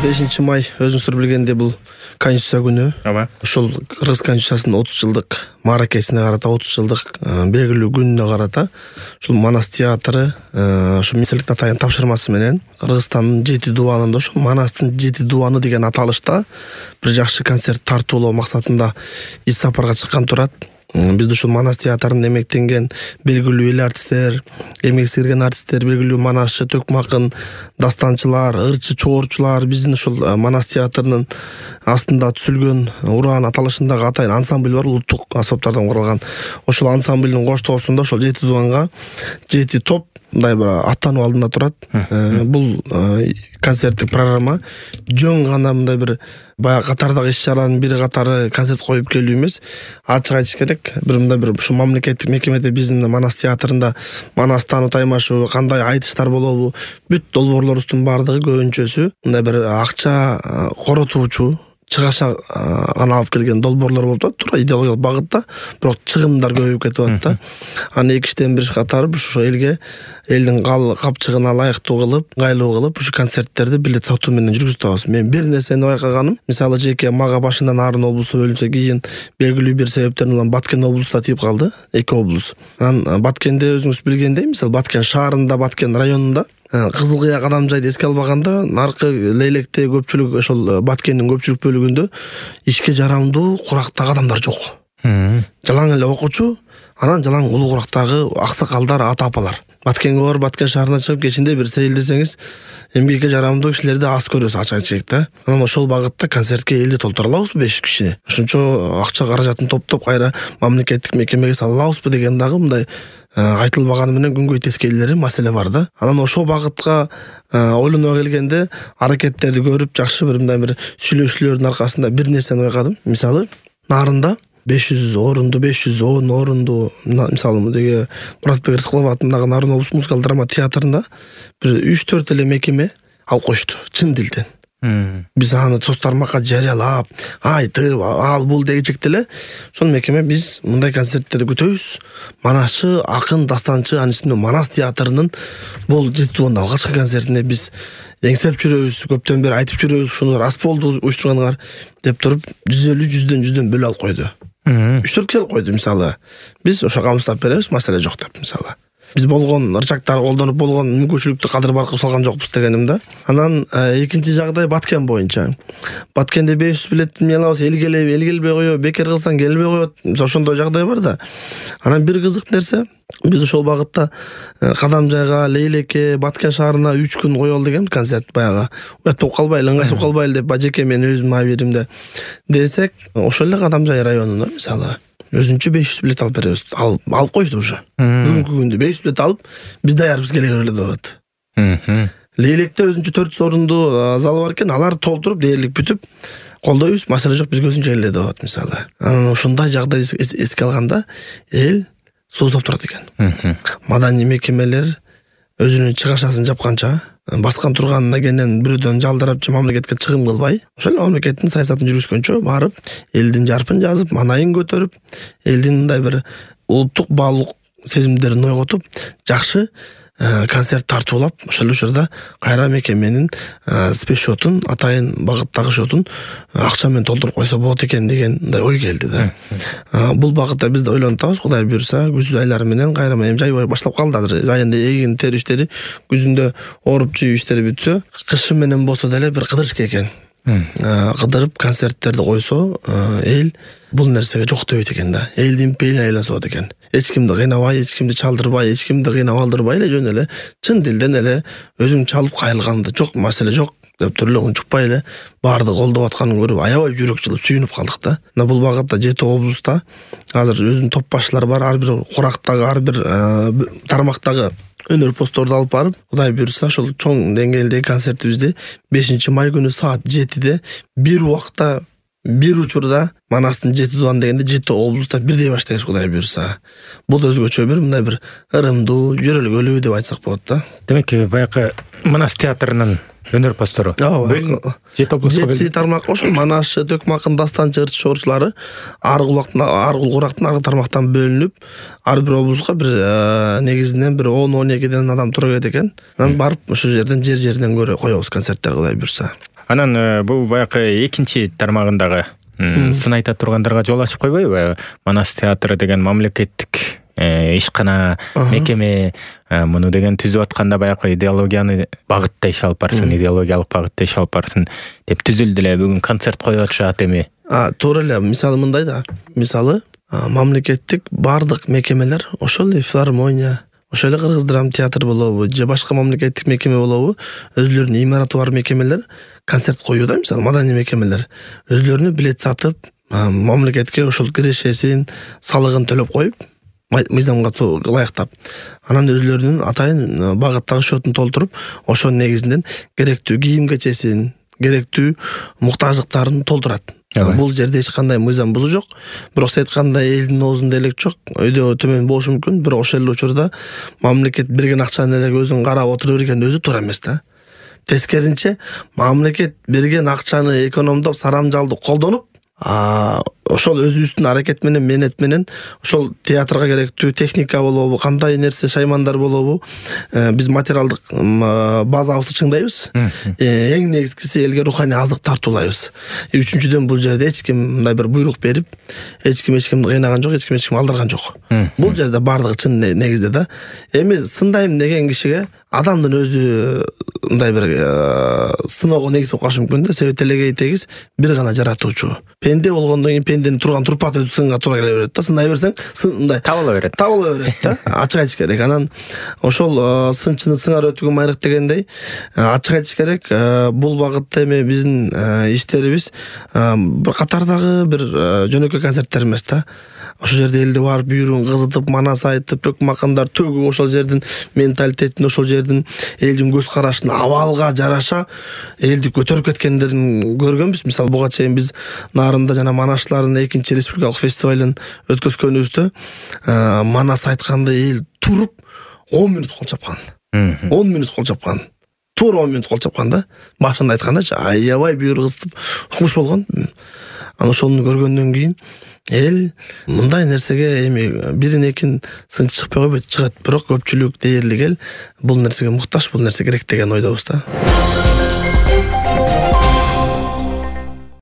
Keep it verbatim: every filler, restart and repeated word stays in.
бешинчи май өзүңүздөр билгендей бул Конституция күнү. Ооба. Ушул Кыргыз Конституциясынын отуз жылдык мааракесине карата, отуз жылдык белгилүү күнүнө карата ушул Манас театры ошо министрликтин атайын тапшырмасы менен Кыргызстандын жети дубанында ошо Манастын жети дубаны деген аталышта бир жакшы концерт тартуулоо максатында иш сапарга чыккан турат. Бизде ушул Манас театрында эмектенген белгилүү эл артисттер, эмек сиңирген артисттер, белгилүү манасчы, төкмакын дастанчылар, ырчы, чоорчулар биздин ушул Манас театрынын астында түзүлгөн Уран аталышындагы атайын ансамбль бар, улуттук аспаптардан куралган. Ошол ансамблдин коштоосунда ошол жети дубанга жети топ мындай бир аттануу алдында турат. Бул концерттик программа жөн гана мындай бир баягы катардагы иш-чаранын бири катары концерт коюп келүү эмес. Ачык айтыш керек, бир мындай бир ушул мамлекеттик мекемеде биздин Манас театрында Манас таануу таймашу, кандай айтыштар болобу, бүт долбоорлорубуздун баардыгы көбүнчөсү мындай бир акча коротуучу, чыгаша гана алып келген долбоорлор болуп атат, туура идеологиялык багытта, бирок чыгымдар көбөйүп кетип атат да. Аны эки иштен бир катары ушул элге, элдин капчыгына ылайыктуу кылып, ыңгайлуу кылып ушу концерттерди билет сатуу менен жүргүзүп атабыз. Мен бир нерсени байкаганым, мисалы жеке мага башынан Нарын облусу бөлүнсө, кийин белгилүү бир себептерден улам Баткен облусу тип калды, эки облус. Анан Баткенде өзүңүз билгендей, мисалы Баткен шаарында, Баткен районунда Кызыл Кыя кадамжайды эске албаганда, наркы Лейлекте көпчүлүк ошол Баткендин көпчүлүк бөлүгүндө ишке жарамдуу курактагы адамдар жок. Жалаң эле окуучу, анан жалаң улуу курактагы аксакалдар, ата-апалар. Баткенге бар, Баткен шаарына чыгып кечинде бир сейилдесеңиз, эмгекке жарамдуу кишилерди аз көрөсүз, ачык айтыш керек да. Анан ошол багытта концертке элди толтура алабызбы беш жүз киши? Ошончо акча каражатын топтоп кайра мамлекеттик мекемеге сала алабызбы деген дагы мындай айтылбаганы менен күнгөй тескейлери маселе бар да. Анан ошол багытка ойлоно келгенде аракеттерди көрүп, жакшы бир мындай бир сүйлөшүүлөрдүн аркасында бир нерсени байкадым. Мисалы, Нарында беш жүз орунду, беш жүз он орунду, мисалы деге Муратбек Рыскулов атындагы Нарын облустук музыкалык драма театрында бир үч төрт эле мекеме алып коюшту, чын дилден. Биз аны соц тармакка жарыялап, айтып, ал бул дегичек деле, ошол мекеме биз мындай концерттерди күтөбүз. Манасчы, акын, дастанчы, анын үстүнө Манас театрынын бул жети дубанда алгачкы концертине биз эңсеп жүрөбүз, көптөн бери айтып жүрөбүз, ушуну рас болду уюштурганыңар деп туруп жүз элүү жүздөн жүздөн бөлө алып койду. үч төрт киши алып койду мисалы. Биз ошо камсыздап беребиз, маселе жок деп мисалы. Биз болгон ырчактарды колдонуп болгон мүмкүнчүлүктү кадыр баркып салган жокпуз дегеним да. Анан экинчи жагдай Баткен боюнча. Баткенде беш жүз билетти эмне алабыз, эл келеби, эл келбей коёбу, бекер кылсаң келбей коет. Ошондой жагдай бар да. Анан бир кызык нерсе, биз ошол багытта Кадамжайга, Лейлекке, Баткен шаарына үч күн коелу деген концерт баягы. Уят болуп калбайлы, ыңгайсыз болуп калбайлы деп бажеке мен өзүмдүн абийиримде десек, ошол эле Кадамжай районуна мисалы өзүнчө беш жүз билет алып беребиз. Алып алып коюшту уже. Бүгүнкү күндө беш жүз билет алып, биз даярбыз келе көрөлү деп атат. Лейлекте өзүнчө төрт жүз орунду залы бар экен, алар толтуруп, дээрлик бүтүп, колдойбуз, маселе жок, биз өзүнчө эле деп атат мисалы. Анан ошондой жагдай эске алганда эл сууздап турат экен. Маданий мекемелер өзүнүн чыгашасын жапканча, баскан турганына кенен бирөөдөн жалдырап же мамлекетке чыгым кылбай, ошол мамлекеттин саясатын жүргүзгөнчө барып, элдин жарпын жазып, манайын көтөрүп, элдин мындай бир улуттук баалуулук сезимдерин ойготуп, жакшы концерт тартуулап, ошол учурда кайра мекеменин спецшотун, атайын багыттагы шотун акча менен толтуруп койсо болот экен деген мындай ой келди да. Бул багытта биз да ойлонуп атабыз, Кудай буйрса, күз айлары менен кайра эми жай башталып калды азыр. Айында эгин тери иштери, күзүндө ооруп жүйүү иштери бүтсө, кышы менен болсо деле бир кыдырыш экен. Кыдырып концерттерди койсо, эл бул нерсеге жок дебейт экен да. Элдин пейилин айланып экен. Эч кимди кыйнабай, эч кимди чалдырбай, эч кимди кыйнап алдырбай эле жөн эле чын дилден эле өзүң чалып кайрылганда жок, маселе жок деп туруп эле унчукпай эле баарды колдоп атканын көрүп аябай жүрөк жылып сүйүнүп калдык да. Мына бул багытта жети облуста азыр өзүнүн топ башчылары бар, ар бир курактагы, ар бир тармактагы өнөр постторду алып барып, Кудай буйрса, ошол чоң деңгээлдеги концертибизди бешинчи май күнү саат жетиде бир убакта, бир учурда Манастын жети дубан дегенде жети облуста бирдей баштайбыз, Кудай буйрса. Бул да өзгөчө бир мындай бир ырымдуу, жөрөлгөлүү деп айтсак болот да. Демек, баягы Манас театрынын өнөр постору жети облуска бөлүнүп, жети тармак ошол манасчы, төкмакын, дастанчы, ырчы, чоорчулары ар кулактан, ар кул курактан, ар тармактан бөлүнүп, ар бир облуска бир негизинен бир он он экиден адам тура келет экен. Анан барып ошол жерден жер жеринен көрө коебуз концерттер, Кудай буйрса. Анан бул баягы экинчи тармагындагы сын айта тургандарга жол ачып койбойбу? Манас театры деген мамлекеттик ишкана, мекеме муну деген түзүп атканда баягы идеологияны багытта иш алып барсын, идеологиялык багытта иш алып барсын деп түзүлдү эле. Бүгүн концерт коюп атышат эми. А, туура эле. Мисалы мындай да. Мисалы, мамлекеттик бардык мекемелер, ошол эле филармония, ошол эле Кыргыз драма театр болобу, же башка мамлекеттик мекеме болобу, өзлөрүнүн имараты бар мекемелер концерт коюуда, мисалы маданий мекемелер өзлөрүнүн билет сатып, мамлекетке ошол кирешесин, салыгын төлөп коюп, мыйзамга ылайыктап, анан өзлөрүнүн атайын багыттагы счетун толтуруп, ошонун негизинен керектүү кийим кечесин, керектүү муктаждыктарын толтурат. Бул жерде эч кандай мыйзам бузуу жок. Бирок сен айткандай элдин оозунда элек жок, өйдө төмөн болушу мүмкүн, бирок ошол эле учурда мамлекет берген акчаны эле өзүң карап отура берген өзү туура эмес да. Тескеринче, мамлекет берген акчаны экономдоп, сарамжалды колдонуп, а ошол өзүбүздүн аракет менен, менет менен ошол театрга керектүү техника болобу, кандай нерсе, шаймандар болобу, биз материалдык базабызды чыңдайбыз. Эң негизгиси элге руханий азык тартуулайбыз. Үчүнчүдөн, бул жерде эч ким мындай бир буйрук берип, эч ким эч кимди кыйнаган жок, эч ким эч кимди алдырган жок. Бул жерде бардыгы чын негизде да. Эми сындайм деген кишиге адамдын өзү мындай бир сыноого негиз болуп калышы мүмкүн да. Себеби телегей тегиз бир гана жаратуучу. Пенде болгондон кийин пенденин турган турпаты өзү сынга туура келе берет да. Сындай берсең, мындай табыла берет. Табыла берет да. Ачык айтыш керек. Анан ошол сынчыны сыңар өтүгү майрык дегендей, ачык айтыш керек. Бул багытта эми биздин иштерибиз бир катардагы бир жөнөкөй концерттер эмес да. Ошол жерде элди барып бүйүрүн кызытып, манас айтып, төк макандар төгүп, ошол жердин менталитетин, ошол жердин элдин көз карашын абалга жараша элди көтөрүп кеткендерин көргөнбүз. Мисалы, буга чейин биз Нарында жана Манашлардын экинчи республикалык фестивалын өткөзгөнүбүздө манас айтканда эл туруп он мүнөт кол чапкан. он мүнөт кол чапкан. Туура он мүнөт кол чапкан да. Башында айткандачы аябай бүйүр кызытып укмуш болгон. Анан ошону көргөндөн кийин эл мындай нерсеге эми бирин экин сынчы чыкпай койбойт, чыгат. Бирок көпчүлүк дээрлик эл бул нерсеге муктаж, бул нерсе керек деген ойдобуз да.